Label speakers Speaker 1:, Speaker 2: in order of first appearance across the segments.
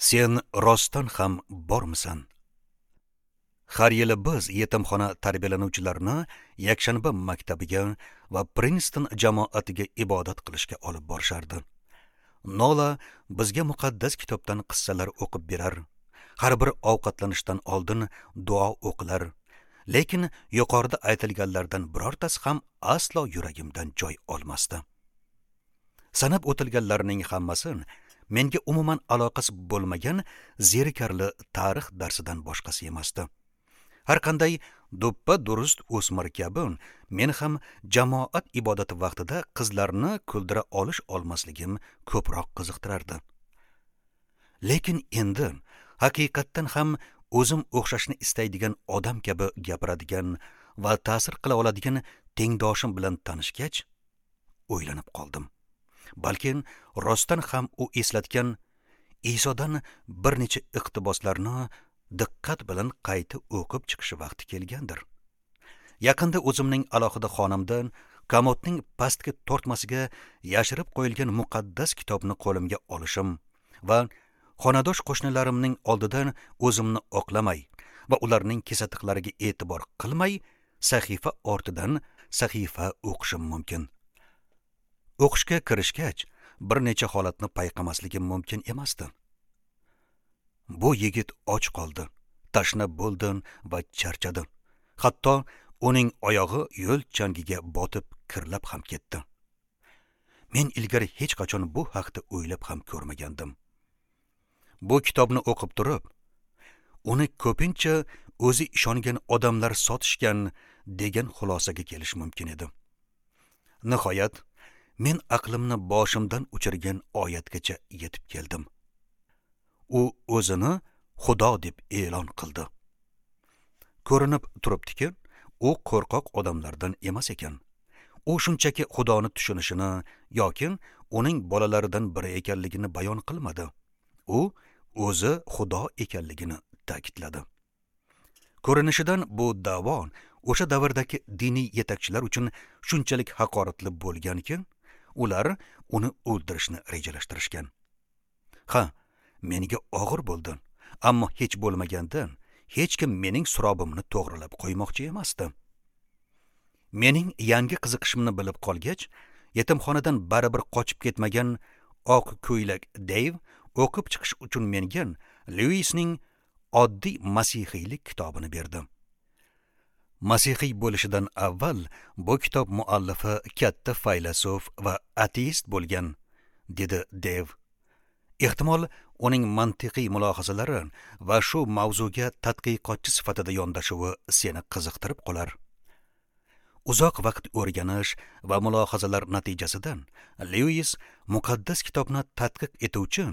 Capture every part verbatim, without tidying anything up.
Speaker 1: Sen rostdan ham bormisan? Har yili biz yetimxona tarbiyalanuvchilarini yakshanba maktabiga va Prinston jamoatiga ibodat qilishga olib borishardi. Nola bizga muqaddas kitobdan qissalar o'qib berar. Har bir ovqatlanishdan oldin duo o'qilar. Lekin yuqorida aytilganlardan birortasi ham aslo yuragimdan joy olmasdi. Sanab o'tilganlarning hammasi menga umuman aloqasi bo'lmagan zerikarli tarix darsidan boshqasi emasdi. Har qanday duppa durust o'smir kabi men ham jamoat ibodati vaqtida qizlarni kuldira olish olmasligim ko'proq qiziqtirardi. Lekin endi haqiqatdan ham o'zim o'xshashni istaydigan odam kabi gapiradigan va ta'sir qila oladigan tengdoshim bilan tanishgach, o'ylanib qoldim. Balkim rostdan ham u eslatgan Isodan bir necha iqtiboslarni diqqat bilan qayta o'qib chiqishi vaqti kelgandir. Yaqinda o'zimning alohida xonamdan komodning pastki tortmasiga yashirib qo'yilgan muqaddas kitobni qo'limga olishim va xonadosh qo'shnilarimning oldidan o'zimni oqlamay va ularning kesatiqlariga e'tibor qilmay sahifa ortidan sahifa o'qishim mumkin. O'qishga kirishgach bir necha holatni payqamasligim mumkin emasdi. Bu yigit och qoldi, tashna bo'ldi va charchadi. Hatto uning oyog'i yo'l changiga botib kirlab ham ketdi. Men ilgari hech qachon bu haqda o'ylab ham ko'rmagandim. Bu kitobni o'qib turib, uni ko'pincha o'zi ishongan odamlar sotishgan degan xulosaga kelish mumkin edi. Nihoyat, men aqlimni boshimdan uchirgan oyatgacha yetib keldim. U o'zini Xudo deb e'lon qildi. Ko'rinib turibdiki, u qo'rqoq odamlardan emas ekan. U shunchaki Xudoni tushunishini yoki uning bolalaridan biri ekanligini bayon qilmadi. U o'zi Xudo ekanligini ta'kidladi. Ko'rinishidan bu da'vo o'sha davrdagi diniy yetakchilar uchun shunchalik haqoratli bo'lganki, ular uni o'ldirishni rejalashtirishgan. Ha, menga og'ir bo'ldi, ammo hech bo'lmaganda hech kim mening surobimni to'g'rilab qo'ymoqchi emasdi. Mening yangi qiziqishimni bilib qolgach, yetimxonadan baribir qochib ketmagan oq ko'ylak Deyv o'qib chiqish uchun menga Lewis-ning oddiy masihiylik kitobini berdi. Masihiy bo'lishidan avval bu kitob muallifi katta faylasuf va ateist bo'lgan, dedi Deyv. Ehtimol uning mantiqiy mulohazalari va shu mavzuga tadqiqotchi sifatida yondashuvi seni qiziqtirib qolar. Uzoq vaqt o'rganish va mulohazalar natijasida Lewis muqaddas kitobni tadqiq etuvchi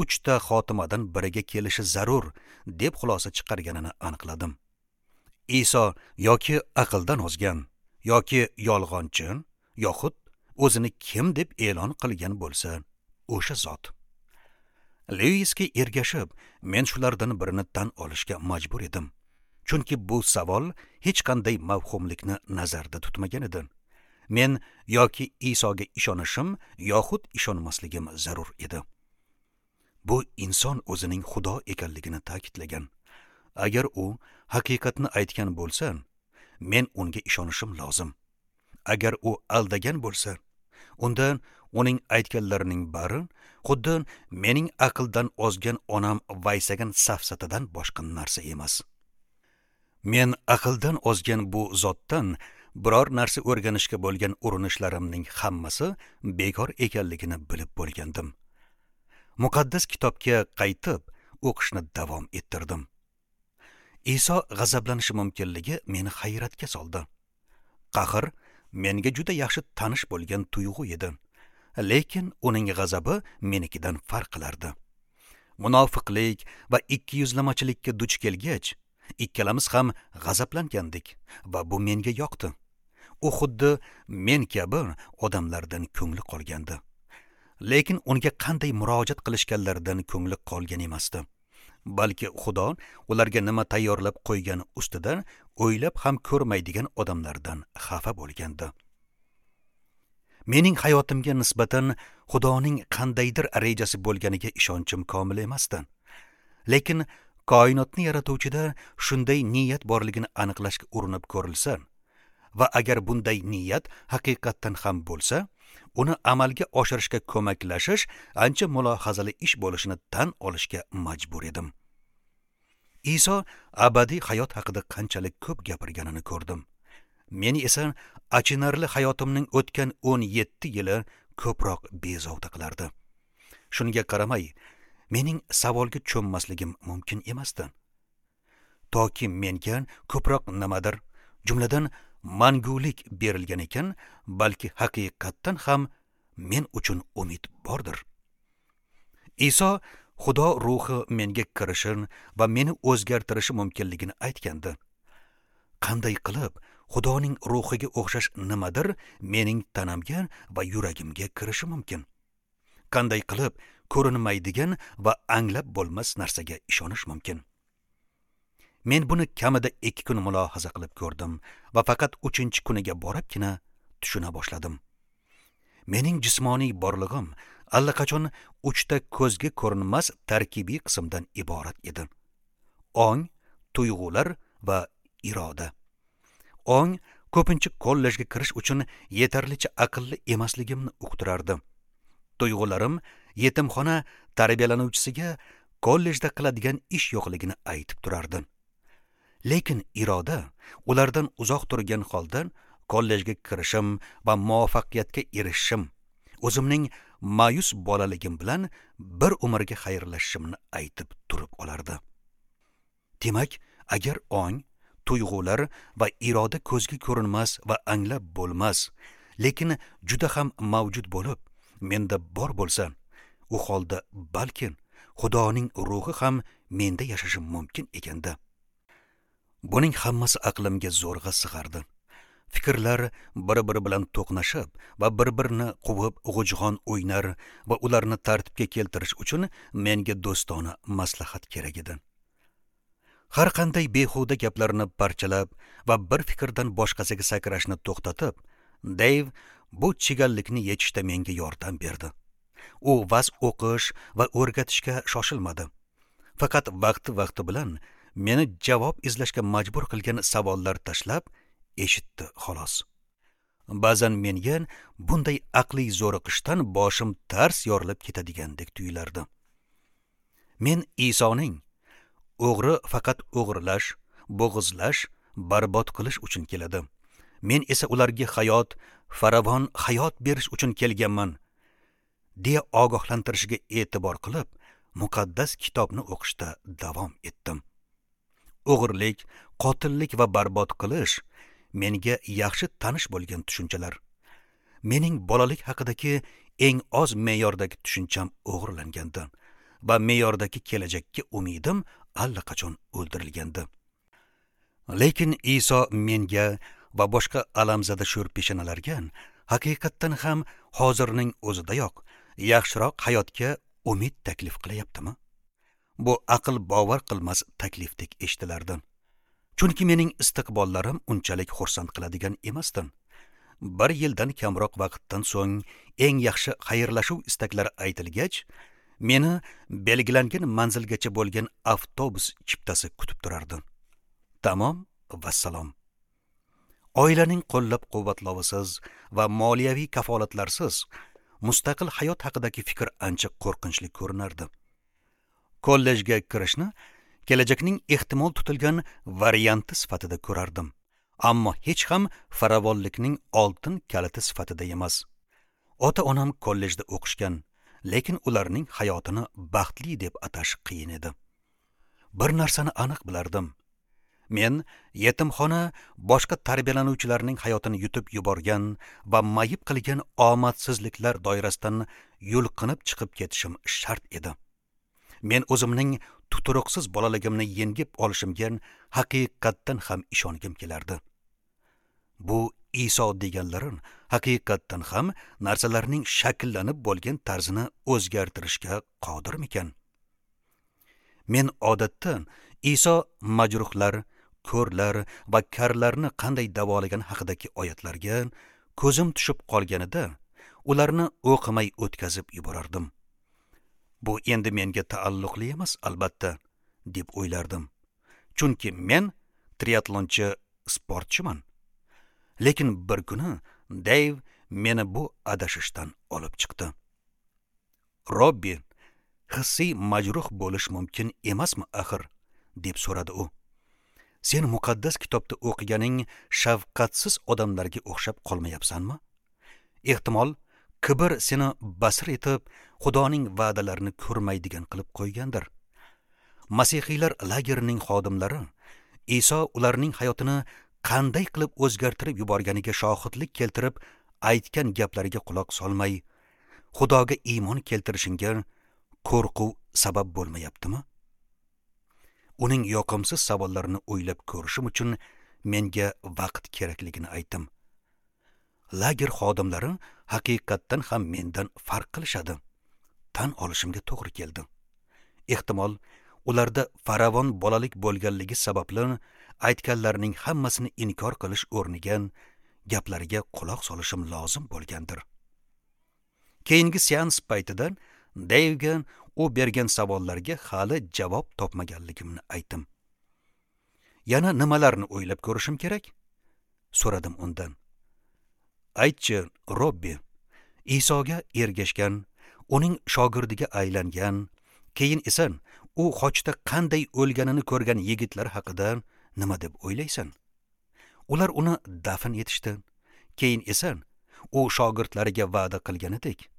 Speaker 1: uchta xotimadan biriga kelishi zarur deb xulosa chiqarganini aniqladim. Iso yoki aqldan ozgan, yoki yolg'onchi, yoxud o'zini kim deb e'lon qilgan bo'lsa, o'sha zot. Lewisga ergashib, men shulardan birini tan olishga majbur edim. Chunki bu savol hech qanday mavhumlikni nazarda tutmagan edi. Men yoki Isoga ishonishim yoxud ishonmasligim zarur edi. Bu inson o'zining Xudo ekanligini ta'kidlagan. Agar u haqiqatni aytgan bo'lsa, men unga ishonishim lozim. Agar u aldagan bo'lsa, unda uning aytganlarining bari xuddi mening aqldan ozgan onam vaysagan safsatadan boshqa narsa emas. Men aqldan ozgan bu zotdan biror narsa o'rganishga bo'lgan urinishlarimning hammasi bekor ekanligini bilib bo'lgandim. Muqaddas kitobga qaytib o'qishni davom ettirdim. Iso g'azablanishi mumkinligi meni hayratga soldi. Qahr menga juda yaxshi tanish bo'lgan tuyg'u edi. Lekin uning g'azabi menikidan farq qilardi. Munofiqlik va ikkiyuzlamachilikka duch kelgach, ikkalamiz ham g'azablangandik va bu menga yoqdi. U xuddi men kabi odamlardan ko'ngli qolgandi. Lekin unga qanday murojaat qilishganlaridan ko'ngli qolgan emasdi. Balki Xudo ularga nima tayyorlab qo'ygani ustidan o'ylab ham ko'rmaydigan odamlardan xafa bo'lgandi. Mening hayotimga nisbatan Xudoning qandaydir rejasi bo'lganiga ishonchim komil emasdi. Lekin koinotni yaratuvchida shunday niyat borligini aniqlashga urinib ko'rilsa va agar bunday niyat haqiqatdan ham bo'lsa, uni amalga oshirishga ko'maklashish ancha mulohazali ish bo'lishini tan olishga majbur edim. Iso abadiy hayot haqida qanchalik ko'p gapirganini ko'rdim. Meni esa achinarli hayotimning o'tgan o'n yetti yili ko'proq bezovta qilardi. Shunga qaramay, mening savolga cho'mmasligim mumkin emasdi. Toki menga ko'proq nimadir, jumladan mangulik berilgan ekan, balki haqiqatdan ham men uchun umid bordir. Iso Xudo ruhi menga kirishi va meni o'zgartirishi mumkinligini aytgandi. Qanday qilib Xudoning ruhiga o'xshash nimadir mening tanamga va yuragimga kirishi mumkin? Qanday qilib ko'rinmaydigan va anglab bo'lmas narsaga ishonish mumkin? Men buni kamida ikki kun mulohaza qilib ko'rdim va faqat uchinchi kuniga boribgina tushuna boshladim. Mening jismoniy borlig'im allaqachon uchta ko'zga ko'rinmas tarkibiy qismdan iborat edi. Ong, tuyg'ular va iroda. Ong ko'pincha kollejga kirish uchun yetarlicha aqlli emasligimni uqtirardi. Tuyg'ularim yetimxona tarbiyalanuvchisiga kollejda qiladigan ish yo'qligini aytib turardi. Lekin iroda ulardan uzoq turgan holda kollejga kirishim va muvaffaqiyatga erishishim, o'zimning ma'yus bolaligim bilan bir umrga xayrlashishimni aytib turib olardi. Demak, agar ong, tuyg'ular va iroda ko'zga ko'rinmas va anglab bo'lmas, lekin juda ham mavjud bo'lib, menda bor bo'lsa, u holda balki Xudoning ruhi ham menda yashashi mumkin ekanda. Buning hammasi aqlimga zo'rg'a sig'ardi. Fikrlar bir-biri bilan to'qnashib va bir-birini quvib g'ujg'on o'ynar va ularni tartibga keltirish uchun menga do'stona maslahat kerak edi. Har qanday behuda gaplarni parchalab va bir fikrdan boshqasiga sakrashni to'xtatib, Deyv bu chigallikni yechishda menga yordam berdi. U vaz o'qish va o'rgatishga shoshilmadi. Faqat vaqti-vaqti bilan meni javob izlashga majbur qilgan savollar tashlab eshitdi xolos. Ba'zan menga bunday aqliy zo'riqishdan boshim tars yorilib ketadigandek tuyulardi. Men Isoning o'g'ri faqat o'g'irlash, bo'g'izlash, barbod qilish uchun keladi. Men esa ularga hayot, faravon hayot berish uchun kelganman, deya ogohlantirishiga e'tibor qilib, muqaddas kitobni o'qishda davom etdim. O'g'irlik, qotillik va barbod qilish menga yaxshi tanish bo'lgan tushunchalar. Mening bolalik haqidagi eng oz me'yordagi tushuncham o'g'irlangandi va me'yordagi kelajakka umidim allaqachon o'ldirilgandi. Lekin Iso menga va boshqa alamzada sho'rpeshanalarga haqiqatdan ham hozirning o'zidayoq yaxshiroq hayotga umid taklif qilyaptimi? Bu aql bovar qilmas taklifdek eshitilardi. Chunki mening istiqbollarim unchalik xursand qiladigan emasdi. Bir yildan kamroq vaqtdan so'ng eng yaxshi xayrlashuv istaklari aytilgach, meni belgilangan manzilgacha bo'lgan avtobus chiptasi kutib turardi. Tamom, vassalom. Oilaning qo'llab-quvvatlovisiz va moliyaviy kafolatlarsiz mustaqil hayot haqidagi fikr ancha qo'rqinchli ko'rinardi. Kollejga kirishni kelajakning ehtimol tutilgan varianti sifatida ko'rardim, ammo hech ham farovonlikning oltin kaliti sifatida emas. Ota-onam kollejda o'qishgan, lekin ularning hayotini baxtli deb atash qiyin edi. Bir narsani aniq bilardim. Men yetimxona boshqa tarbiyalanuvchilarning hayotini yutib yuborgan va mayib qilgan omadsizliklar doirasidan yulqinib chiqib ketishim shart edi. Men o'zimning tuturuqsiz bolaligimni yengib olishimga haqiqatdan ham ishongim kelardi. Bu Iso deganlarin haqiqatdan ham narsalarning shakllanib bo'lgan tarzini o'zgartirishga qodirmikan? Men odatda Iso majruhlar, ko'rlar va karlarni qanday davolagan haqidagi oyatlarga ko'zim tushib qolganida ularni o'qimay o'tkazib yuborardim. Bu endi menga taalluqli emas, albatta. deb o'ylardim. Chunki men triatlonchi sportchiman. Lekin bir kuni Deyv meni bu adashishdan olib chiqdi. Robbi, hissiy majruh bo'lish mumkin emasmi axir? Deb so'radi u. Sen muqaddas kitobda o'qiganing shafqatsiz odamlarga o'xshab qolmayapsanmi? Ehtimol, kibr seni basir etib, Xudoning va'dalarini ko'rmaydigan qilib qo'ygandir. Masihiylar lagerining xodimlari Iso ularning hayotini qanday qilib o'zgartirib yuborganiga shohidlik keltirib aytgan gaplariga quloq solmay, Xudoga iymon keltirishingga qo'rquv sabab bo'lmayaptimi? Uning yoqimsiz savollarini o'ylab ko'rishim uchun menga vaqt kerakligini aytdim. Lager xodimlari haqiqatdan ham mendan farq qilishadi. Tan olishimga to'g'ri keldi. Ehtimol, ularda faravon bolalik bo'lganligi sababli aytganlarining hammasini inkor qilish o'rniga gaplariga quloq solishim lozim bo'lgandir. Keyingi seans paytida Deyvga u bergan savollarga hali javob topmaganligimni aytdim. Yana nimalarni o'ylab ko'rishim kerak? So'radim undan. Aytchi, Robbi, Isoga ergashgan, uning shogirdiga aylangan, keyin esa u xochda qanday o'lganini ko'rgan yigitlar haqida nima deb o'ylaysan? Ular uni dafn etishdi. Keyin esa u shogirdlariga va'da qilganidek,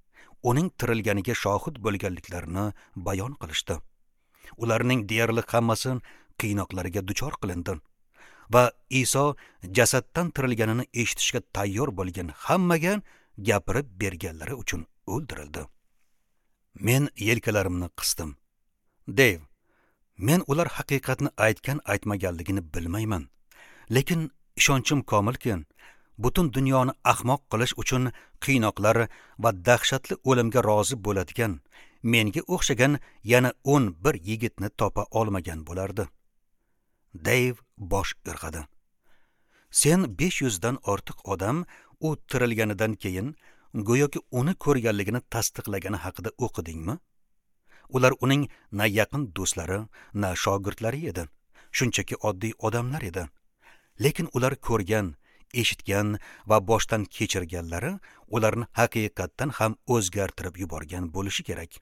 Speaker 1: uning tirilganiga shohid bo'lganliklarini bayon qilishdi. Ularning deyarli hammasi qiynoqlarga duchor qilindi va Iso jasaddan tirilganini eshitishga tayyor bo'lgan hammaga gapirib berganlari uchun o'ldirildi. Men yelkalarimni qisdim. Deyv, men ular haqiqatni aytgan aytmaganligini bilmayman. Lekin ishonchim komilki, butun dunyoni ahmoq qilish uchun qiynoqlar va dahshatli o'limga rozi bo'ladigan, menga o'xshagan yana o'n bir yigitni topa olmagan bo'lardi. Deyv bosh irg'adi. Sen besh yuzdan ortiq odam u tirilganidan keyin go'yoki uni ko'rganligini tasdiqlagani haqida o'qidingmi? Ular uning na yaqin do'stlari, na shogirdlari edi. Shunchaki oddiy odamlar edi. Lekin ular ko'rgan, eshitgan va boshdan kechirganlari ularni haqiqatdan ham o'zgartirib yuborgan bo'lishi kerak.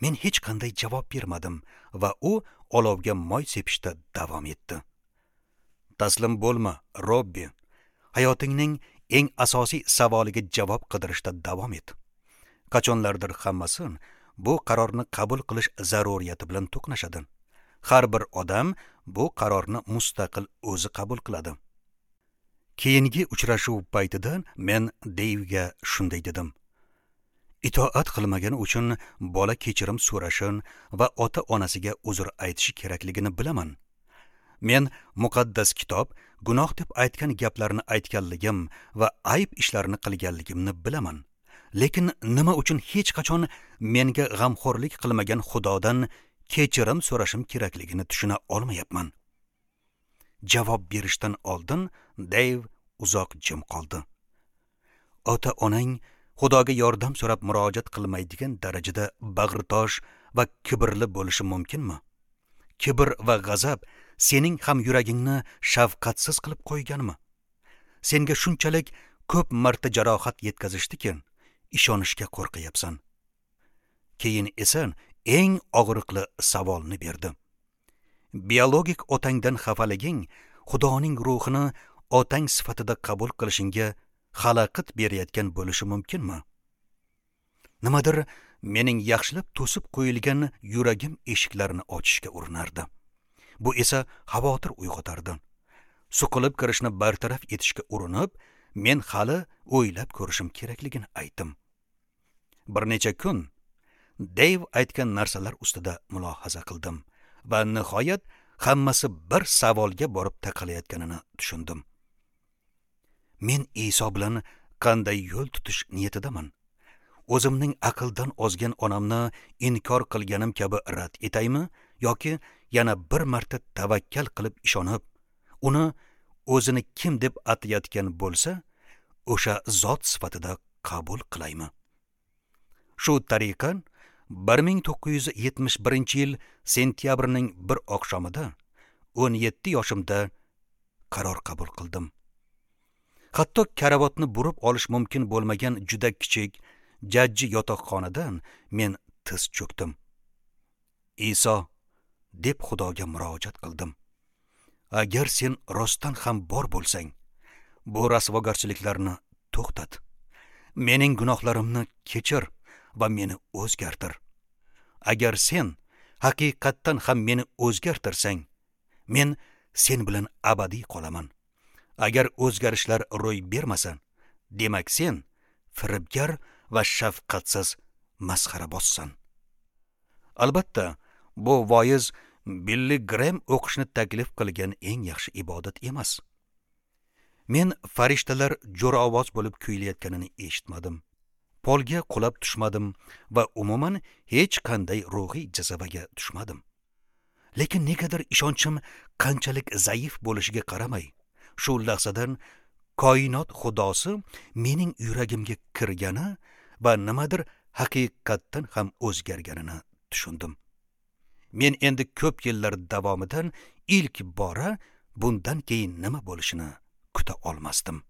Speaker 1: Men hech qanday javob bermadim va u olovga moy sepishda davom etdi. Taslim bo'lma, Robbi. Hayotingning eng asosiy savoliga javob qidirishda davom et. Qachonlardir hammasi bu qarorni qabul qilish zaruriyati bilan to'qnashadi. Har bir odam bu qarorni mustaqil o'zi qabul qiladi. Keyingi uchrashuv paytida men Deyvga shunday dedim. Itoat qilmagani uchun bola kechirim so'rashi va ota-onasiga uzr aytishi kerakligini bilaman. Men muqaddas kitob gunoh deb aytgan gaplarni aytganligim va ayb ishlarni qilganligimni bilaman. Lekin nima uchun hech qachon menga g'amxo'rlik qilmagan Xudodan kechirim so'rashim kerakligini tushuna olmayapman. Javob berishdan oldin Deyv uzoq jim qoldi. Ota-onang Xudoga yordam so'rab murojaat qilmaydigan darajada bag'ritosh va kibrli bo'lishi mumkinmi? Kibr va g'azab sening ham yuragingni shafqatsiz qilib qo'yganmi? Senga shunchalik ko'p marta jarohat yetkazishdiki, ishonishga qo'rqyapsan. Keyin esa eng og'riqli savolni berdi. Biologik otangdan xafaliging Xudoning ruhini otang sifatida qabul qilishingga xalaqit berayotgan bo'lishi mumkinmi? Nimadir mening yaxshilab to'sib qo'yilgan yuragim eshiklarini ochishga urinardi. Bu esa xavotir uyg'otardi. Suqilib kirishni bartaraf etishga urinib, men hali o'ylab ko'rishim kerakligini aytdim. Bir necha kun Deyv aytgan narsalar ustida mulohaza qildim va nihoyat hammasi bir savolga borib taqalayotganini tushundim. Men Iso bilan qanday yo'l tutish niyatidaman? O'zimning aqldan ozgan onamni inkor qilganim kabi rad etaymi yoki yana bir marta tavakkal qilib ishonib, uni o'zini kim deb atayotgan bo'lsa, o'sha zot sifatida qabul qilaymi? Shu tariqa bir ming to'qqiz yuz yetmish birinchi yil sentyabrning bir oqshomida o'n yetti yoshimda qaror qabul qildim. Hatto karavotni burib olish mumkin bo'lmagan juda kichik jajji yotoqxonadan men tiz cho'kdim. Iso, deb Xudoga murojaat qildim. Agar sen rostdan ham bor bo'lsang, bu rasvogarchiliklarni to'xtat. Mening gunohlarimni kechir va meni o'zgartir. Agar sen haqiqatdan ham meni o'zgartirsang, men sen bilan abadiy qolaman. Agar o'zgarishlar ro'y bermasa, demak sen firibgar va shafqatsiz masxarabozsan. Albatta, bu voiz Billi Grem o'qishni taklif qilgan eng yaxshi ibodat emas. Men farishtalar jo'ra ovoz bo'lib kuylayotganini eshitmadim. Polga qulab tushmadim va umuman hech qanday ruhiy jazavaga tushmadim. Lekin negadir ishonchim qanchalik zaif bo'lishiga qaramay, shu lahzadan koinot xudosi mening yuragimga kirgani va nimadir haqiqatdan ham o'zgarganini tushundim. Men endi ko'p yillar davomidan ilk bora bundan keyin nima bo'lishini kuta olmasdim.